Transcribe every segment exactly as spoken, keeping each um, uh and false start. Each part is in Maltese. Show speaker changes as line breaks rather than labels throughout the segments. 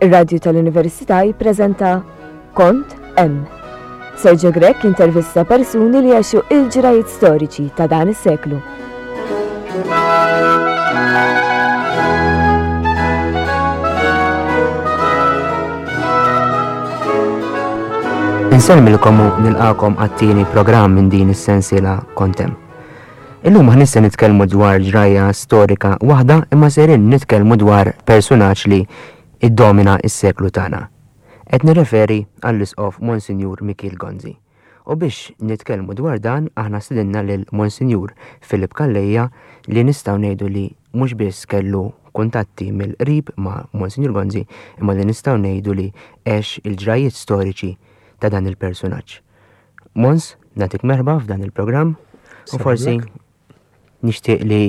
Ir-Radju tal-Università jippreżenta Kont Hemm. Sergio Grech intervista persuni li għexu il-ġrajiet storiċi ta' dan is-seklu.
Insellmilkom u nilqakom għat-tieni programm minn din is-sensiela Kont Hemm. Illum aħna se nitkellmu dwar ġrajja storika waħda imma serin nitkellmu dwar persunaġġ li iddomina s-seklu tagħna. Qed nirreferi għall-Isqof Monsinjur Mikiel Gonzi. U biex nitkellmu dwar dan aħna stedinna lil Monsinjur Philip Calleja li nistgħu ngħidu li mhux biss kellu kuntatti mill-qrib ma' Monsinjur Gonzi imma li nistgħu ngħidu li għex il-ġrajiet storiċi ta' dan il-persunaġġ. Mons, nagħtik merħba f'dan il-programm u forsi nixtieq li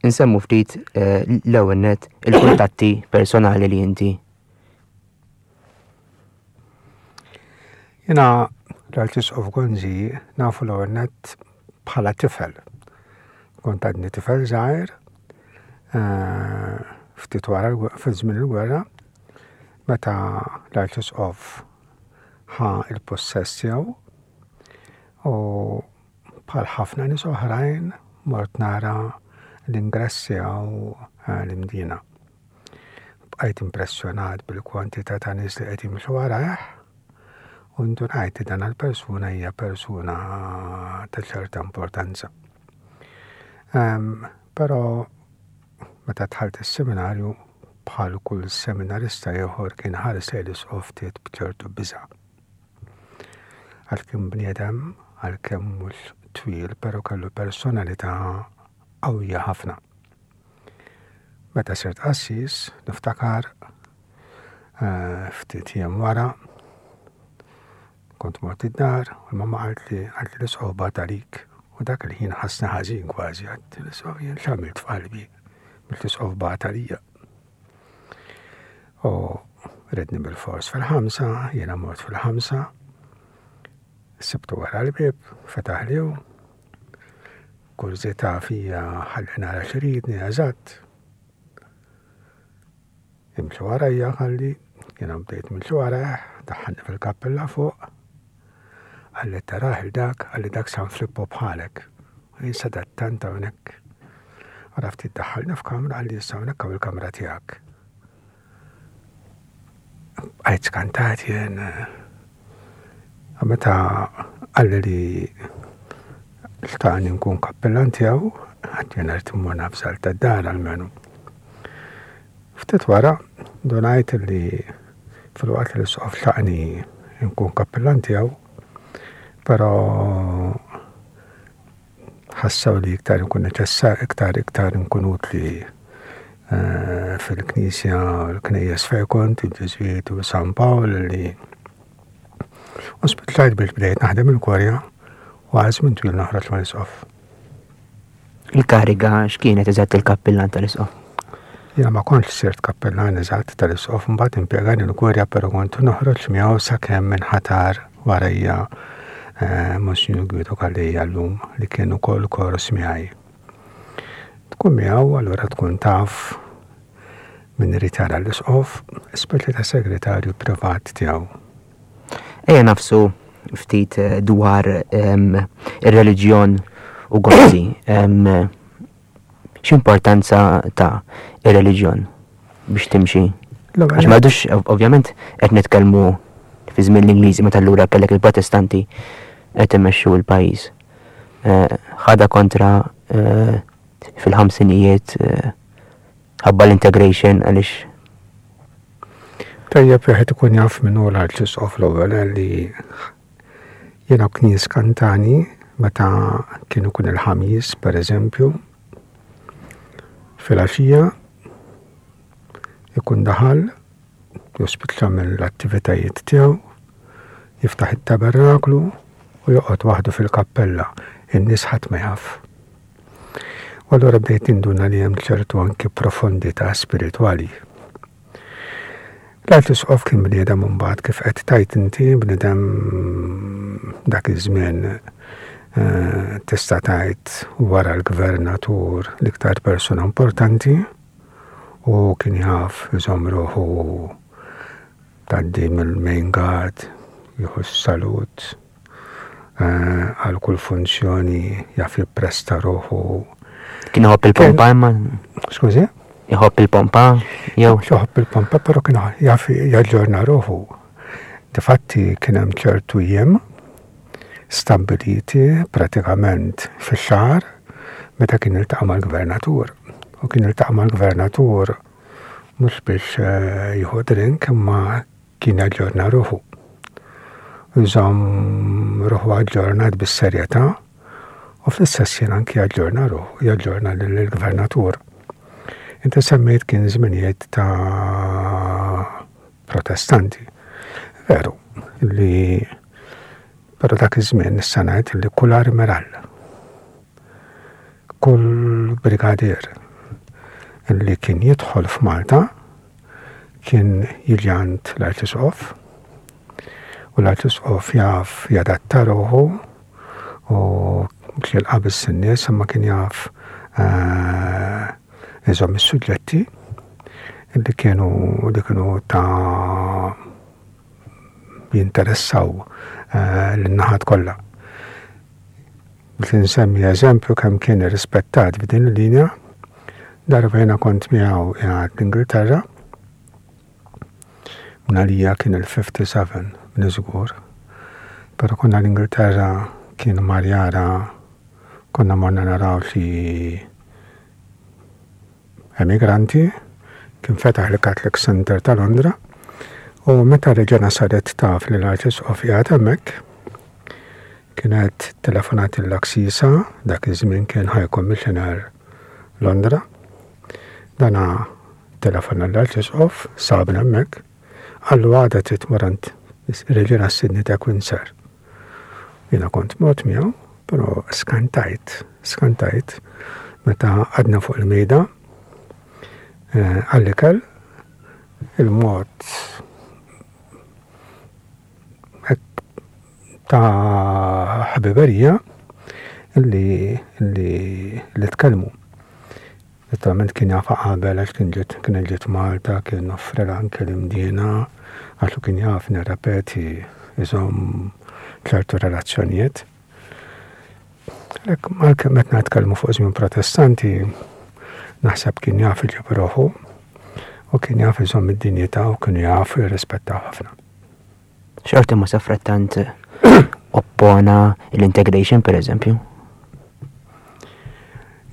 nsemmu ftit eh, l-ewwel nett il-kuntatti personali li inti.
Jiena l-Arċisqof Gonzi nafu l-ewwel nett bħala tifel. Kont għadni tifel żgħir, eh, ftit wara fi żmien il-gwerra, meta l-Arċisqof ħa il-possess tiegħu u bħal ħafna nies oħrajn mort nara l-ingress tiegħu eh, l-Imdina. Bqajt impressjonat bil-kwantità ta' nies li qed jimxu warajh u ndunajt li dan il-persuna hija persuna ta' ċerta importanza. Um, però meta dħalt is-seminarju bħal kull seminarista ieħor kien ħares lejn l-isqof ftit b'ċertu biża'. Għalkemm bniedem, għalkemm mhux twil, però kellu personalità qawwija ħafna. Meta sirt qassis, niftakar eh, ftit jiem wara, kont mort id-dar, u l-mamma qalt li qalt li l-isqof bagħat għalik. U dak il-ħin ħassni ħażin kważi, għadt l-isqof jien x'għamilt f'qalbi, mill l-isqof bagħat għalija. U redni bil-fors fil-ħamsa, jiena mort fil-ħamsa, sibtu wara l-bieb, fetaħ li hu, kurżità fija ħalli nara x'iridni eżatt. Imxi warajja ħalli, jiena bdejt nimxi warajh, daħħalni fil-kappella fuq. Qalli tarah il dak, qalli dak San Filippo bħalek. U jien sadattant hawnhekk. Wara ftit daħħalni f'kamra, qalli issa hawnhekk hawn il-kamra tiegħek. Bqajt skantat jien. Meta qalli li xtaqni nkun kappellan tiegħu, għad jien rrid immur nafsal tad-dar almenu. Ftit wara ndunajt li fil-waqt li l-isqof xtaqni nkun kappellan tiegħu, però ħassew li iktar nkun neċessar, iktar iktar nkun utli eh, fil-knisja, l-knejjes fejn kont, il-Ġiżwiti u San Pawl li u spiċċajt biex bdejt naħdem il-Kurja u għal żmien twil noħroġ mal-isqof.
Il-kariga x'kienet eżatt il-kappillan tal-isqof?
Jiena ma kontx sirt kappillan eżatt tal-isqof, mbagħad impjegani l-Kurja però kont noħroġ miegħu sakemm inħatar warajja eh, Monsinjur Guido Calleja llum li kien ukoll kors miegħi. Tkun miegħu allura tkun taf min irid jara l-isqof, speċi ta' segretarju privat tiegħu.
Ejja nafsu ftit eh, dwar em, ir-reliġjon u Gonzi. Em, X'importanza ta' ir-reliġjon biex timxi?
L-ewwel
Għax m'għadux ovvjament qed nitkellmu fi żmien l-Ingliżi meta allura kellek il-Protestanti qed imexxu l-pajjiż. Eh, ħada kontra eh, fil-ħamsinijiet eh, ħabba l-integration għaliex
Tajjeb wieħed ikun jaf min hu l-Arċisqof l-ewwel li jiena kien jiskantani meta kien ikun il-ħamis, per eżempju, filgħaxija ikun daħal jospiċċa mill-attivitajiet tiegħu, jiftaħ it-tabernaklu u joqgħod waħdu fil-kappella, in-nies ħadd ma jaf. U allura bdejt induna li hemm ċertu anki profondità spiritwali. L-Arċisqof kien bniedem imbagħad kif qed tajt inti bniedem dak iż-żmien eh, tista' tgħid wara l-gvernatur l-iktar persuna importanti u kien jaf iżomm ruħu Tgħaddi mill-main guard, jieħu salut, eh, għal kull funzjoni jaf jippresta ruħu.
Kien iħobb il-pompa imma?
Skużi?
Iħobb il-pompa? Jew?
Iħobb il-pompa, però kien jaf jaġġorna ruħu. Difatti kien hemm ċertu jiem stabbiliti pratikament fix-xahar meta kien iltaqa' mal-gvernatur. U kien iltaqa' mal-gvernatur mhux biex eh, jieħu drink, imma kien jaġġorna ruħu. Iżomm ruħu aġġornat bis-serjetà u fl-istess jien anki jaġġorna ruħu, jaġġorna lill-gvernatur. Inti semmejt kien żminijiet ta' protestanti. Veru, li però dak iż-żmien nista' ngħid li kull armiral, kull brigadier li kien jidħol f'Malta kien jiġi għand l-Arċisqof u l-Arċisqof jaf jadatta ruħu u mhux jilqa' biss in-nies, imma kien jaf eh, iżomm is-suġġetti li kienu li kienu ta' jinteressaw eh, l-naħat kollha. Biex nsemmi eżempju kemm kien irrispettat f'din il-linja, darba jiena kont miegħu qiegħed l-Ingilterra, mnalija kien il-ħamsa u ħamsin minn żgur, però konna l-Ingilterra, kien mar jara, konna morna naraw xi emigranti, kien fetaħ il-Catholic Center ta' Londra, u meta reġena saret taf li l-Arċisqof qiegħed hemmhekk, kienet telefonat l-Aksisa, dak iż-żmien kien High Commissioner Londra. Dana telefona l-Arċisqof, sabna hemmhekk, qallu għada trid tmur għand Reġina Sidney ta' Windsor. Jiena kont mort miegħu, però skantajt, skantajt meta għadna fuq il-mejda eh, għall-ikel, il-mod hekk ta' ħbiberija li li li tkellmu. Naturalment kien jafa qabel għax kien ġiet kien ġiet Malta, kien offrela anke l-Imdina, għax kien jaf, nirrepeti, iżomm ċertu relazzjonijiet. Għalhekk għalkemm meta nitkellmu fuq żmien protestanti, naħseb kien jaf iġib ruħu u kien jaf iżomm id-dinjità u kien jaf jirrispettaw ħafna.
Xorta ma safrattant oppona l-integration, per eżempju.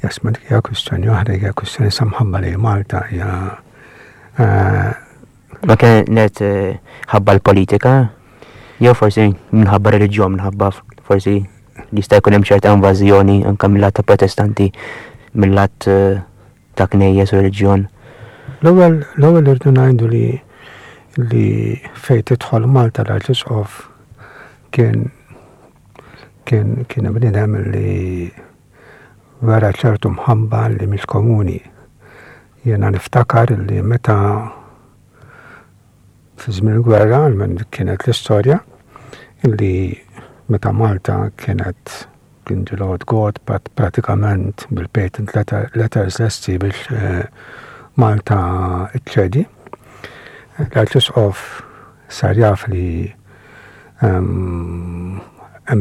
Jas, ma dik hija kwistjoni oħra, hija kwistjoni samħabba li Malta hija eh,
Ma kienet eh, ħabba l-politika, jew forsi minħabba reliġjon, minħabba forsi li jista' jkun hemm ċerta invażjoni anke mill-lat ta' protestanti, mill-lat eh, ta' knejjes u reliġjon.
L-ewwel l-ewwel irdu ngħidu li li fejn tidħol Malta l-Arċisqof kien kien kien bniedem li wera ċertu mħabba li mhix komuni. Jiena niftakar li meta fi żmien il-gwerra, almen kienet l-istorja, li meta Malta kienet kien ġilod god pratikament bil-patent letter, letters lesti biex eh, Malta iċċedi. L-Arċisqof sar jaf li hemm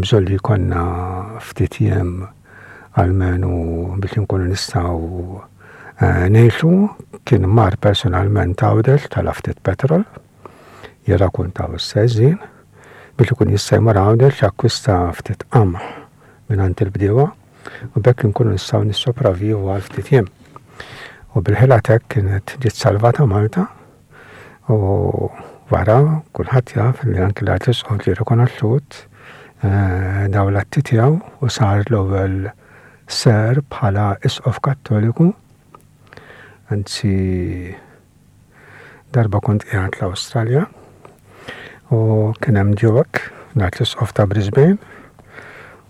bżonn li jkollna ftit jiem almenu biex nkunu nistgħu eh, ngħixu, kien mar personalment Għawdex tala ftit petrol, jirrakkuntaw s-seżin, biex ikun jista' jmur Għawdex jakkwista ftit qamħ minn il-bdiewa u bekk nkunu nistgħu nissopravivu għal ftit jiem. U bil-ħila hekk kienet ġiet salvata Malta u wara kulħadd jaf li anki l-Arċisqof ġie rikonoxxut eh, daw l-atti tiegħu u sar l-ewwel ser bħala isqof Kattoliku. Anzi, darba kont qiegħed l-Awstralja u kien hemm Duke, l-Arċisqof ta' Brisbane,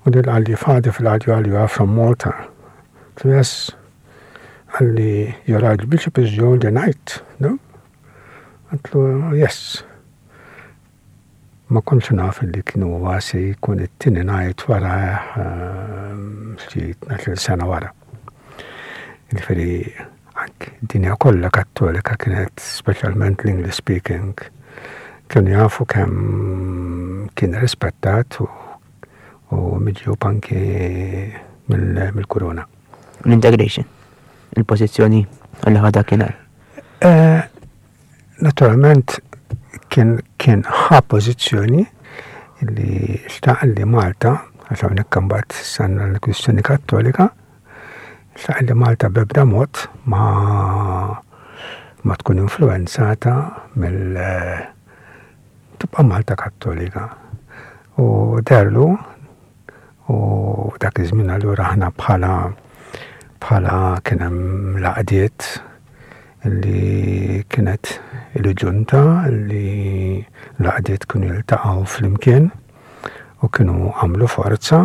u dil qalli, "Father," fil-għadju qalli, "you are from Malta." So, "Yes." Qalli, "Your Archbishop is the knight, no?" Għedtlu, "Yes." Ma kontx naf li kienu huwa se jkun it-tieni knight wara ehm, xi tnax-il sena wara. Jiġifieri anki dinja kollha Kattolika kienet, speċjalment l-English speaking, Kienu jafu kemm kien rispettat u, u miġjub anki mill-kuruna.
L-integration, il-pożizzjoni li ħa dakinhar.
Eh, naturalment kien kien ħa pożizzjoni li xtaq li Malta, għax hawnhekk imbagħad sanna l-kwistjoni Kattolika, xtaq li Malta b'ebda mod ma ma tkun influenzata mill tibqa' Malta Kattolika. U deherlu u dak iż-żmien allura aħna bħala bħala kien hemm l-għaqdiet li kienet il-ġunta li l-għaqdiet kienu jiltaqgħu flimkien u kienu għamlu forza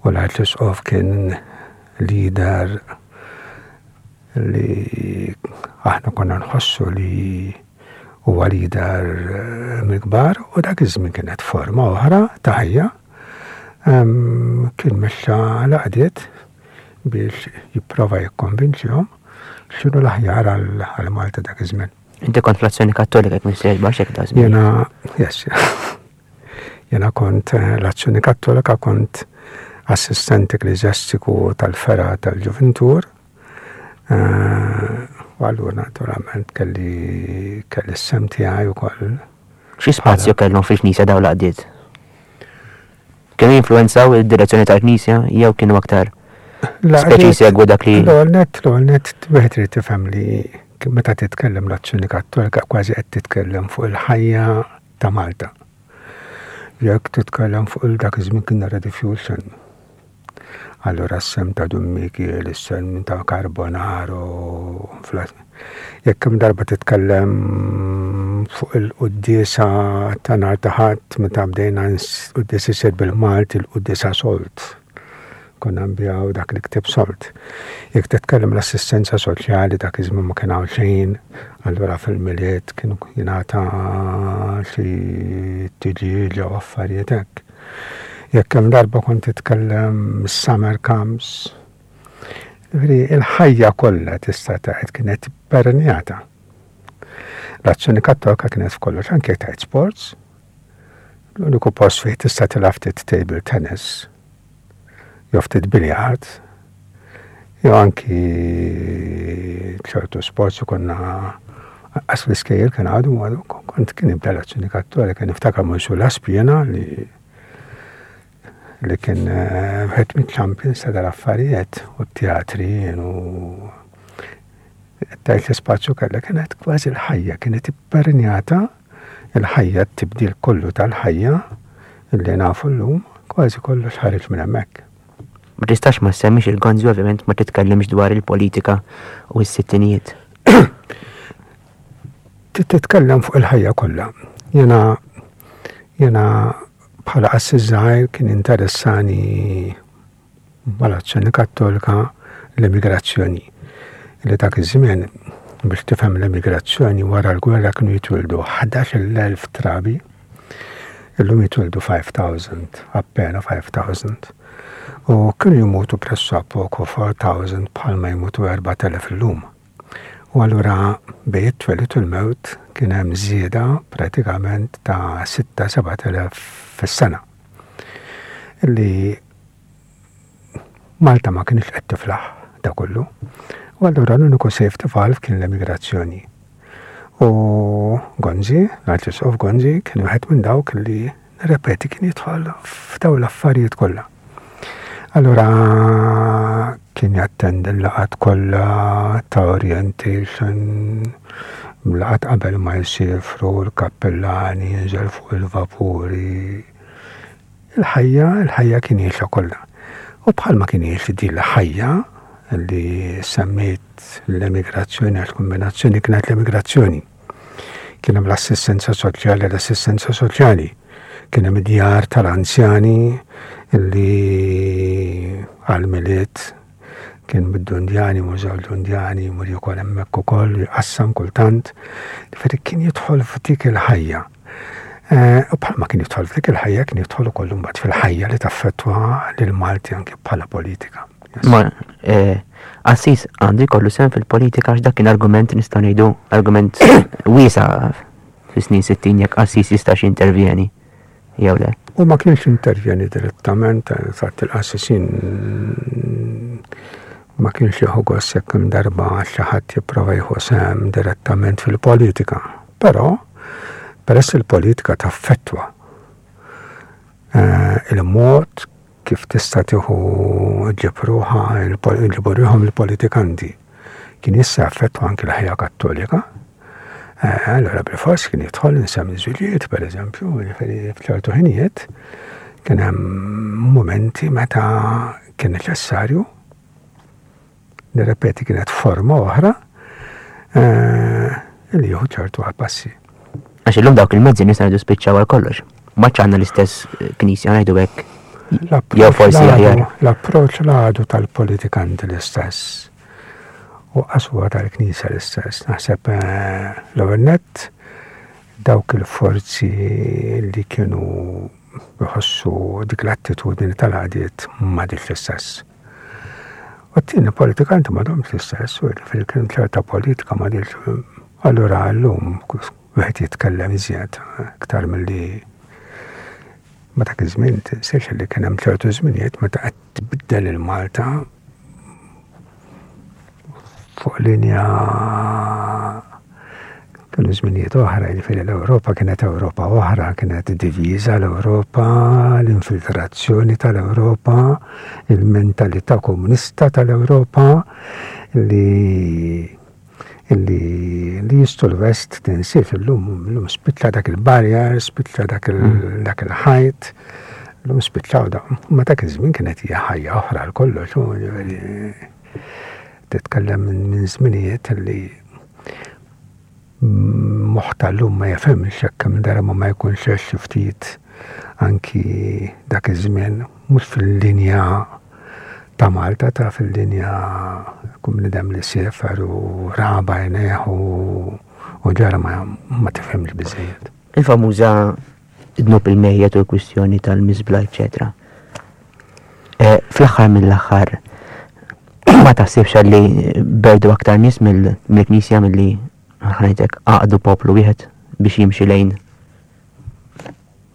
u l-Arċisqof kien leader li aħna konna nħossu li huwa leader mill-kbar u dak iż-żmien kienet forma oħra ta' ħajja. Kien mexxa l-għaqdiet biex jipprova jikkonvinċihom x'inhu l-aħjar għal Malta dak iż-żmien.
Inti kont fl-Azzjoni Kattolika jekk m'iniex żbaljat hekk da żmien.
Jena, yes, jena kont l-Azzjoni Kattolika, kont assistent ekkleżjastiku tal-fergħa tal-Ġuvintur. U allura naturalment kelli kelli s-sehem tiegħi wkoll.
Xi spazju kellhom fil-Knisja dawn l-għaqdiet? Kienu jinfluwenzaw id-direzzjoni tal-Knisja jew kienu aktar speċi jsegwu dak li.
L-ewwel nett, l-ewwel nett wieħed irid tifhem li meta titkellem l-Azzjoni Kattolika kważi qed titkellem fuq il-ħajja ta' Malta. Jekk titkellem fuq il-dak iż-żmien kien Rediffusion. Allura s-sehem ta' Dun Mikiel, is-sehem ta' Carbonaro, jekk hemm darba titkellem fuq il-quddiesa ta' nhar ta' Ħadd meta bdejna quddiesa isir bil-Malti, il-quddiesa sold. Konna nbigħu dak il-ktieb sold. Jekk titkellem l-assistenza soċjali, dak iż-żmien ma kien hawn xejn, allura fil-Milied kienu jingħata xi tiġieġa u affarijiet hekk. Jekk hemm darba kont titkellem summer camps, ġifieri il-ħajja kollha tista' tgħid kienet permeata. L-Azzjoni Kattolika kienet f'kollox, anke jekk tgħid sports. L-uniku post fejn tista' tilgħab ftit table tennis, jew ftit biljard, jew anki ċertu sports u konna għas l-iskejjel kien għadu, kont kien ibda l-Azzjoni Kattolika, niftakar Monsu Laspjena li li kien wieħed mit-champions ta' dal-affarijiet u t-teatri u tajt l-ispazju kellha kienet kważi l-ħajja, kienet ippermeata il-ħajja, t-tibdil kollu tal-ħajja li nafu llum, kważi kollox ħareġ minn hemmhekk.
Ma tistax ma semmix il-Gonzi, ovvjament ma titkellimx dwar il-politika u s-sittinijiet.
Titkellem fuq il-ħajja kollha. Jena jena bħala qassis żgħir kien interessani mal-Azzjoni Kattolika l-emigrazzjoni. Li dak iż-żmien, biex tifhem l-emigrazzjoni, wara l-gwerra kienu jitwildu ħdax-il elf trabi, illum jitwildu five thousand, appena five thousand. U kienu jmutu pressappoco four thousand bħalma jmutu erbat elef illum. U allura bejn it-twelid u l-mewt kien hemm żieda pratikament ta' sitta seba' elef fis-sena. Illi Malta ma kienx qed tiflaħ da kollu. U allura l-uniku safety valve kien l-emigrazzjoni. U Gonzi, l-Arċisqof Gonzi, kien wieħed minn dawk li, nirrepeti, kien jidħol f'dawn l-affarijiet kollha. Allura kien jattendi l-laqgħat kollha ta' orientation, laqgħat qabel ma jsifru l-kappellani, jinżel fuq il-vapuri. Il-ħajja, il-ħajja kien jgħixha kollha. U bħalma kien jgħix din il-ħajja li semmejt l-emigrazzjoni, għax kombinazzjoni kienet l-emigrazzjoni. Kien hemm l-assistenza soċjali, l-assistenza soċjali. Kien hemm id-djar tal-anzjani li għal-Milied kien bid-Dundjani, Mużew Dundjani, mur ukoll hemmhekk ukoll, jqassam kultant. Ġifieri kien jidħol f'dik il-ħajja. U bħalma kien jidħol f'dik il-ħajja, kien jidħol ukoll imbagħad fil-ħajja li taffettwa lil Malti anke bħala politika.
Ma qassis għandu jkollu sehem fil-politika, għax dak kien argument, nistgħu ngħidu argument wiesa'. fis-snin sittin jekk qassis jistax jintervjeni jew le.
U ma kienx intervjeni direttament, fatt il-qassisin ma kienx jieħu gost jekk hemm darba xi ħadd jipprova jieħu sehem direttament fil-politika. Però peress il-politika taffettwa eh, il-mod kif tista' tieħu ġib ruħha ġibu ruħhom il-politikanti kien jista' jaffettwa anki l-ħajja Kattolika. Eh, allora bil-fors kien jidħol insemmi żwiġijiet, pereżempju, jiġifieri f'ċertu ħinijiet kien hemm momenti meta kien neċessarju, nirrepeti, kienet forma oħra eh, li jieħu ċertu passi.
Għax illum dawk il-mezzi nista' ngħidu spiċċaw għal kollox. Ma għandna l-istess eh, knisja, ngħidu hekk. Jew forsi aħjar.
L-approċ l-għadu tal-politikanti l-istess. U qaswa tal-knisja l-istess. Naħseb eh, l-ewwel nett dawk il-forzi li kienu jħossu dik l-attitudni tal-għadiet m'għadix l-istess. U t-tieni, politikanti m'għadhomx l-istess, u fil-kien ċerta politika m'għadix. Allura llum wieħed jitkellem iżjed iktar milli ma dak iż-żmien. Tinsiex li kien hemm ċertu żminijiet meta qed tbiddel il-Malta fuq linja, kienu żminijiet oħra, jiġifieri l-Ewropa kienet Ewropa oħra, kienet diviża l-Ewropa, l-infiltrazzjoni tal-Ewropa, il-mentalità komunista tal-Ewropa li li li jistu l-West. Tinsiex illum illum spiċċa dak il-barrier, spiċċa dak il- dak il-ħajt, illum spiċċaw da. Ma dak iż-żmien kienet hija ħajja oħra għal kollox, u jiġifieri titkellem minn minn żminijiet li moħħ tal-lum ma jifhimx jekk kemm darba ma jkunx għex xi ftit anki dak iż-żmien, mhux fil-linja ta' Malta, ta' fil-linja kum bniedem li siefer u ra b'għajnejh u u ġara ma, ma tifhimx biżejjed.
Il-famuża dnub il-mejjet u l-kwistjoni tal-miżbla, eċċetera. Eh, Fl-aħħar mill-aħħar ma taħsibx li berdu aktar nies mill- mill-Knisja milli, ħa ngħidlek, għaqdu poplu wieħed biex jimxi lejn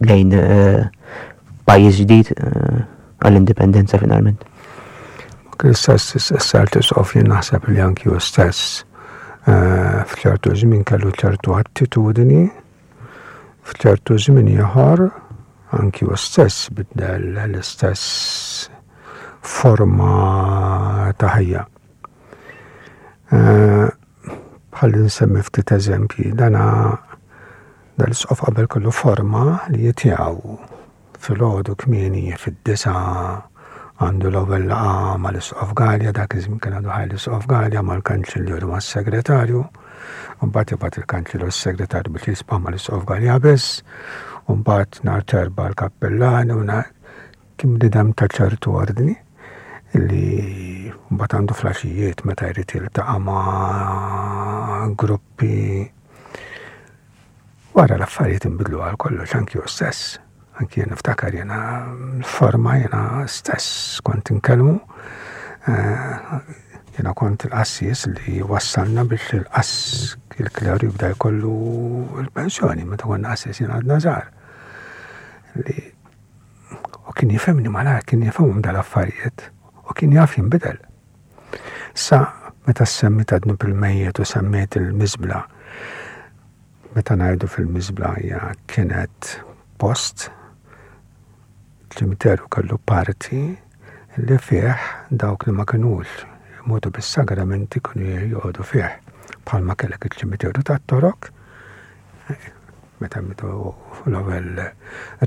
lejn eh, pajjiż ġdid eh, għall-indipendenza finalment?
L-istess s-sar jien naħseb li anki hu stess eh, f'ċertu żmien kellu ċertu attitudni, f'ċertu żmien ieħor anki hu stess biddel l-istess forma ta' ħajja. Eh, Ħalli nsemmi ftit eżempji, dana dal-isqof qabel kellu forma li jitiegħu filgħodu kmieni fid-disgħa għandu l-ewwel laqgħa mal-Isqof Galea, dak iż-żmien kien għadu ħaj l-Isqof Galea, mal-Kanċillier u mas-Segretarju, u mbagħad jibgħat il-Kanċillier u s-Segretarju biex jisbaħ mal-Isqof Galea biss, u mbagħad nhar t'Erbgħa l-kappellani u nhar kien bniedem ta' ċertu ordni li mbagħad għandu flaxijiet meta jrid jiltaqa' ma' gruppi. Wara l-affarijiet inbidlu għal kollox, anki hu stess. Anki jien niftakar jiena l-forma, jiena stess kont inkellmu. Eh, Jiena kont il-qassis li wassalna biex il-qass il-kleru jibda jkollu l-pensjoni meta konna qassis, jiena għadna żgħar. Li u kien jifhimni malajr, kien jifhimhom dal-affarijiet u kien jaf jinbidel. Sa meta semmi ta' dnub il-mejjet u semmiet il-miżbla, meta ngħidu fil-miżbla hija kienet post, ċimiteru kellu parti li fih dawk li ma kinux imutu bis-sagramenti kienu joqogħdu fih. Bħalma kellek iċ-ċimiteru tat-Torok, meta mitu l-ewwel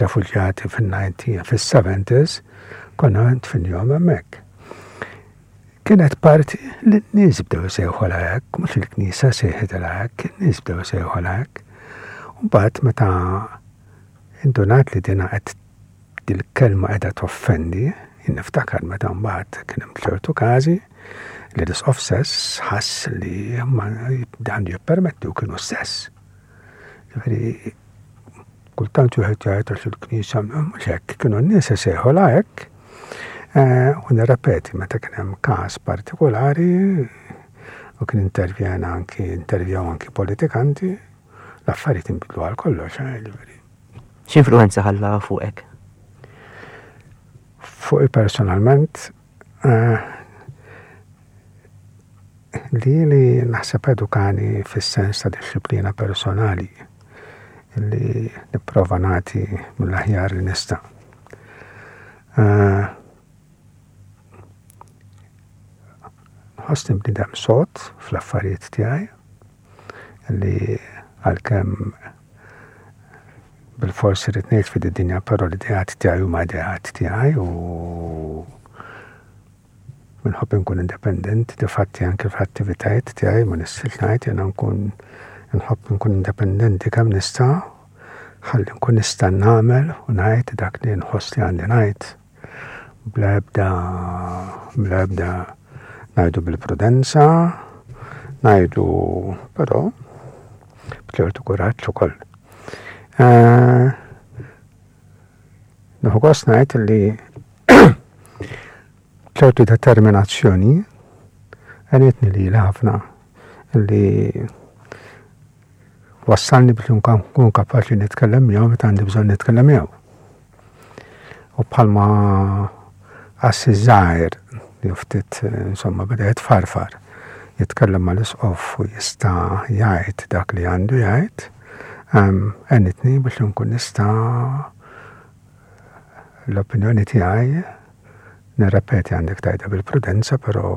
refuġjati fin-nineteen fis-seventies, konna dfinnihom hemmhekk. Kienet parti li n-nies bdew isejħu hekk, mhux il-Knisja sejħet hekk, in-nies bdew isejħu hekk. U mbagħad meta indunat li dina qed dil-kelma qiegħda toffendi, niftakar meta mbagħad kien hemm ċertu każi li l-isqof stess ħass li ma għandu jippermetti u kienu stess. Ġifieri kultant wieħed jgħid għax il-Knisja mhux hekk, kienu n-nies isejħu hekk. Eh, u nirrepeti, meta kien hemm każ partikolari u kien intervjena anki intervjaw anki politikanti, L-affarijiet inbidlu għal kollox, eh, ġifieri.
X'influenza ħalla fuqek?
Fuqi personalment, eh, li li naħseb edukani fis-sens ta' disċiplina personali li nipprova nagħti mill-aħjar li nista'. Eh, Nħossni bniedem sod fl-affarijiet tiegħi li għalkemm bil-forsi rrid ngħid fid-dinja, però l-ideat tiegħi huma ideat tiegħi u minħobb nkun independent, difatti anke fl-attivitajiet tiegħi ma nistax ngħid jiena nkun nħobb nkun independenti kemm nista' ħalli nkun nista' nagħmel u ngħid dak li nħoss li għandi ngħid bla ebda bla ebda ngħidu bil-prudenza, ngħidu però b'ċertu kuraġġ ukoll. Eh, Nieħu gost ngħid li ċertu determinazzjoni għenitni li ħafna li wassalni biex nkun kapaċi nitkellem miegħu meta għandi bżonn nitkellem miegħu. U bħalma qassis żgħir li ftit insomma beda jitfarfar, jitkellem mal-isqof u jista' jgħid dak li għandu jgħid, għenitni biex nkun nista' l-opinjoni tiegħi nirrepeti għandek tajda bil-prudenza, però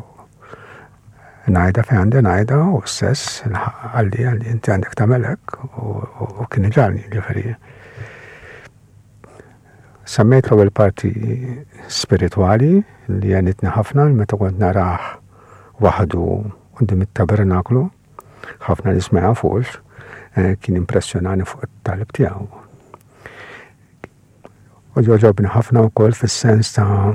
ngħidha fejn għandi ngħidha u stess għalli għalli inti għandek tagħmel hekk u kien iġagħalni ġifieri. Semmejt l-ewwel parti spiritwali li għenitni ħafna meta kont narah waħdu quddiem it-tabernaklu, ħafna nies ma jafux, kien impressjonani fuq it-talb tiegħu. U jogħġobni ħafna wkoll fis-sens ta'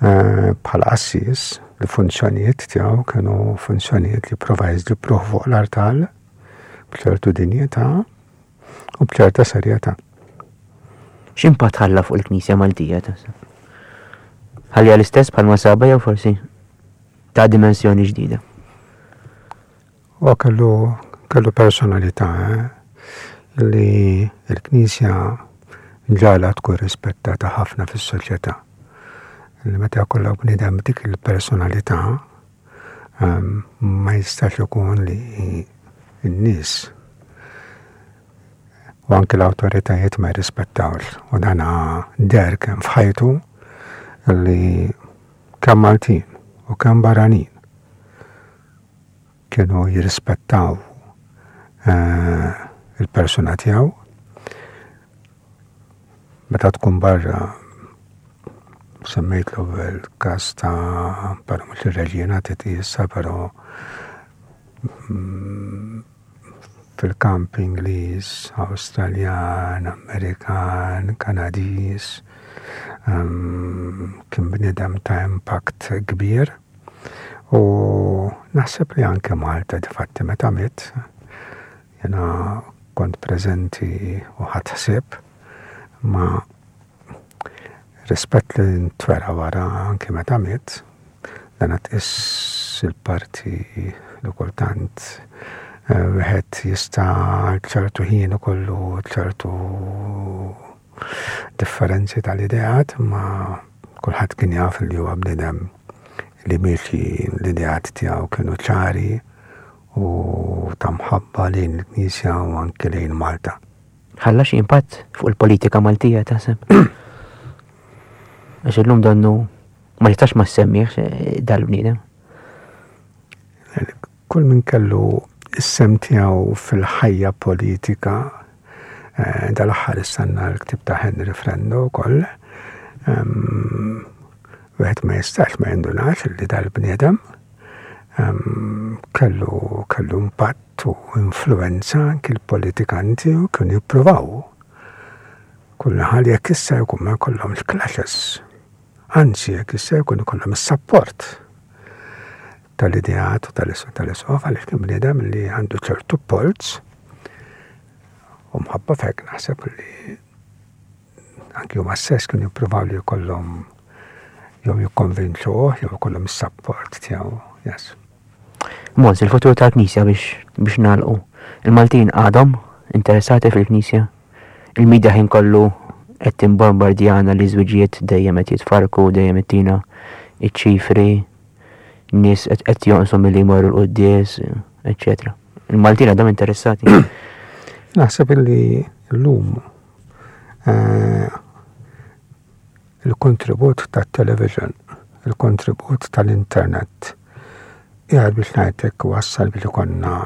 bħala qassis, il-funzjonijiet tiegħu kienu funzjonijiet li prova jiżviluppaw fuq l-artal b'ċertu dinjità u b'ċerta serjetà.
X'impatt ħalla fuq il-Knisja Maltija taħseb? Ħalliha l-istess bħalma saba jew forsi ta' dimensjoni ġdida?
U kellu, kellu personalità, eh, li l-Knisja ġala tkun rispettata ħafna fis-soċjetà. Li meta jkollok bniedem dik il-personalità, ehm, ma jistax ikun li n-nies u anke l-awtoritajiet ma jirrispettawx. U dana deher kemm f'ħajtu li kemm Maltin u kemm barranin kienu jirrispettaw, eh, il-persuna tiegħu. Meta tkun barra semmejt l-ewwel każ ta' però mhux ir-reġina titqisha, però mm, fil-kamp Ingliż, Awstraljan, Amerikan, Kanadiż, um, kien bniedem ta' impatt kbir. U naħseb li anke Malta difatti meta miet, jena kont preżenti u ħadt ħsieb ma rispett li ntwera wara anke meta miet, dan tqis il-parti li kultant, eh, wieħed jista' ċertu ħin ikollu ċertu differenzi tal-ideat, ma kulħadd kien jaf li huwa bniedem li miexi l-ideat tiegħu kienu ċari u ta' mħabba lejn il-Knisja u anke lejn Malta.
Ħalla xi impatt fuq il-politika Maltija taħseb? Għax illum donnu ma nistax ma semmiex, eh, dal-bniedem.
Kull min kellu is-sem tiegħu fil-ħajja politika, eh, dal-aħħar istanna l-ktib ta' Henry Frendo wkoll, ehm, wieħed ma jistax ma jindunax li dal-bniedem, ehm, kellu, kellu impatt u influenza anki l-politikanti u kienu jippruvaw. Kull ħal jekk issa jkun ma jkollhomx clashes. Anzi, jekk issa jkun ikollhom is-support tal-ideat u tal-isqof, għaliex kien bniedem li għandu ċertu polz u mħabba fek naħseb li anki huma stess kienu jippruvaw li jkollhom jew jikkonvinċuh jew jkollhom is-support tiegħu. Yes.
Mons, il-futur tal-Knisja biex, biex nagħlqu. Il-Maltin għadhom interessati fil-Knisja. Il-medja ħin kollu qed timbombardjana li żwiġijiet dejjem qed jitfarku, dejjem ittina iċ-ċifri, nies qed jonqsu milli jmorru l-quddies, eċċetera. Il-Maltin għadhom interessati.
Naħseb illi llum eh, il-kontribut tat-television, il-kontribut tal-internet, jgħad biex ngħidlek wassal biex ikollna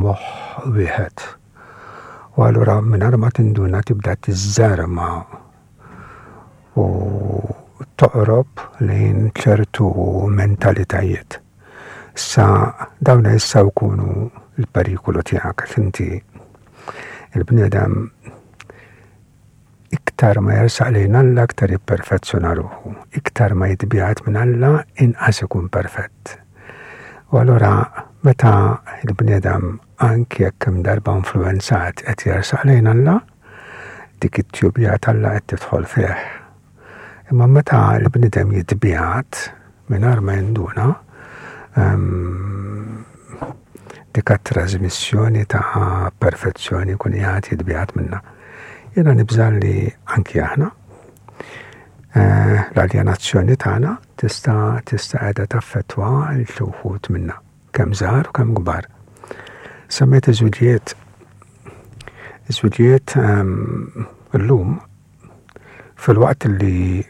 moħħ wieħed. U allura mingħajr ma tinduna tibda tiżżarma u toqrob lejn ċertu mentalitajiet. Sa dawn issa jkunu l-perikolu tiegħek għax inti il-bniedem iktar ma jersaq lejn Alla iktar jipperfezzjona ruħu, iktar ma jitbiegħed minn Alla inqas ikun perfett. U allura meta il-bniedem anki jekk kemm darba influenzat qed jersaq lejn Alla, dik it-tjubija t'Alla qed tidħol fih. Imma meta l-bniedem jitbiegħed mingħajr ma jinduna, ehm, dik trasmissjoni ta' perfezzjoni kun jgħat jitbiegħed minna. Jiena nibża' li anki aħna eh, l-aljenazzjoni tagħna tista' tista' qiegħda taffettwa l wħud minna, kemm żgħar u kemm kbar. Semmejt iż-żwiġijiet. Iż-żwiġijiet ehm, illum fil-waqt li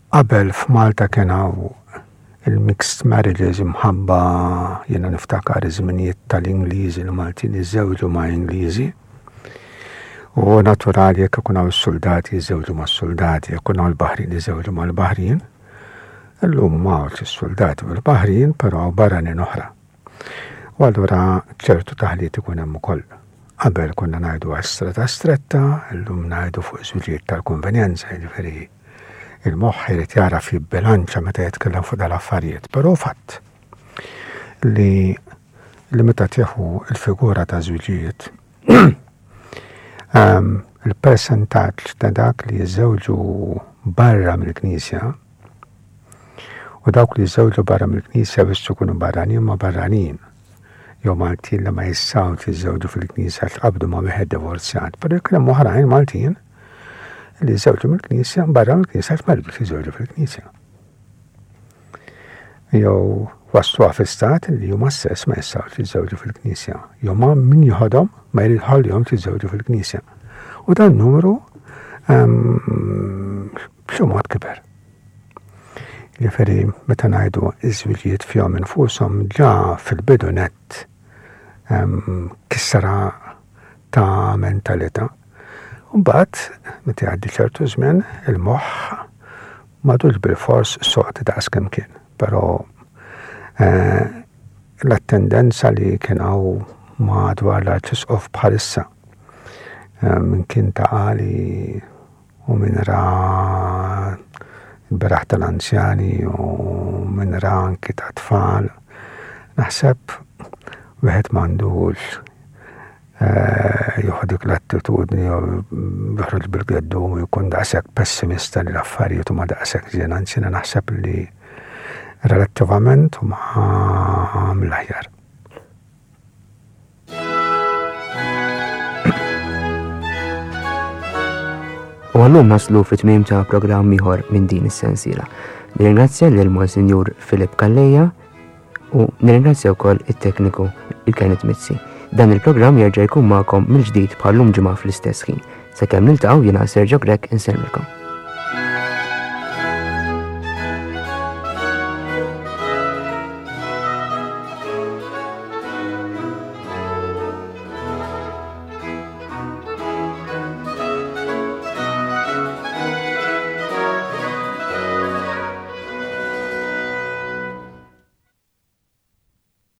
qabel f'Malta kien hawn il-mixed marriages imħabba jiena niftakar iż-żminijiet tal-Ingliżi li Maltin iżewġu ma' Ingliżi. U naturali jekk ikun hawn is-soldati jiżewġu mas-soldati, jekk ikun hawn il-baħrin jiżewġu mal-baħrin. Illum m'hawnx is-soldati u l-baħrin, però hawn barranin oħra. U allura ċertu taħlit ikun hemm ukoll. Qabel konna ngħidu għas-strata stretta, illum ngħidu fuq żwiġijiet tal-konvenjenza, jiġifieri il-moħħ irid jaraf jibbilanċa meta jitkellem fuq dal-affarijiet, però fatt li li meta tieħu il-figura ta' żwiġijiet um, il-percentaġġ ta' dak li jiżżewġu barra mill-Knisja u dawk li jiżżewġu barra mill-Knisja biex ikunu barranin ma' barranin jew Maltin li ma jistgħux jiżżewġu fil-Knisja tqabdu ma' wieħed divorzjat, però jekk hemm oħrajn Maltin li jiżżewġu mill-Knisja barra mill-Knisja ma jridux jiżżewġu fil-Knisja. Jew waslu fi stat li huma stess ma jistgħux jiżżewġu fil-Knisja. Jew ma min jħodhom ma jrid ħallihom jiżżewġu fil-Knisja. U dan numru ehm, b'xi mod kiber. Jiġifieri meta ngħidu iż-żwiġijiet fihom infushom ġa fil-bidu nett ehm, kisra ta' mentalità. Mbagħad meta jgħaddi ċertu żmien il-moħħ m'għadux bil-fors sod daqs kemm kien, però eh, l-attendenza li kien hawn madwar l-Arċisqof bħalissa eh, minn kien ta' għali u minn ra il-beraħ tal-anzjani u minn ra anki ta' tfal. Naħseb wieħed m'għandux eh, jieħu dik l-attitudni jew joħroġ bil-geddum u jkun daqshekk pessimista li l-affarijiet huma daqshekk żien, anzi jiena naħseb li relattivament huma mill-aħjar.
U għallum naslu fit-tmiem ta' programm ieħor minn din is-sensiela. Nirringrazzja lil Monsinjur Filip Calleja u nirringrazzja wkoll it-tekniku il-Kenneth Mizzi. Dan il-programm jerġa' jkun magħkom mill-ġdid bħallum ġimgħa fl-istess ħin. Sakemm niltaqgħu jiena Sergio Grech insellmilkom.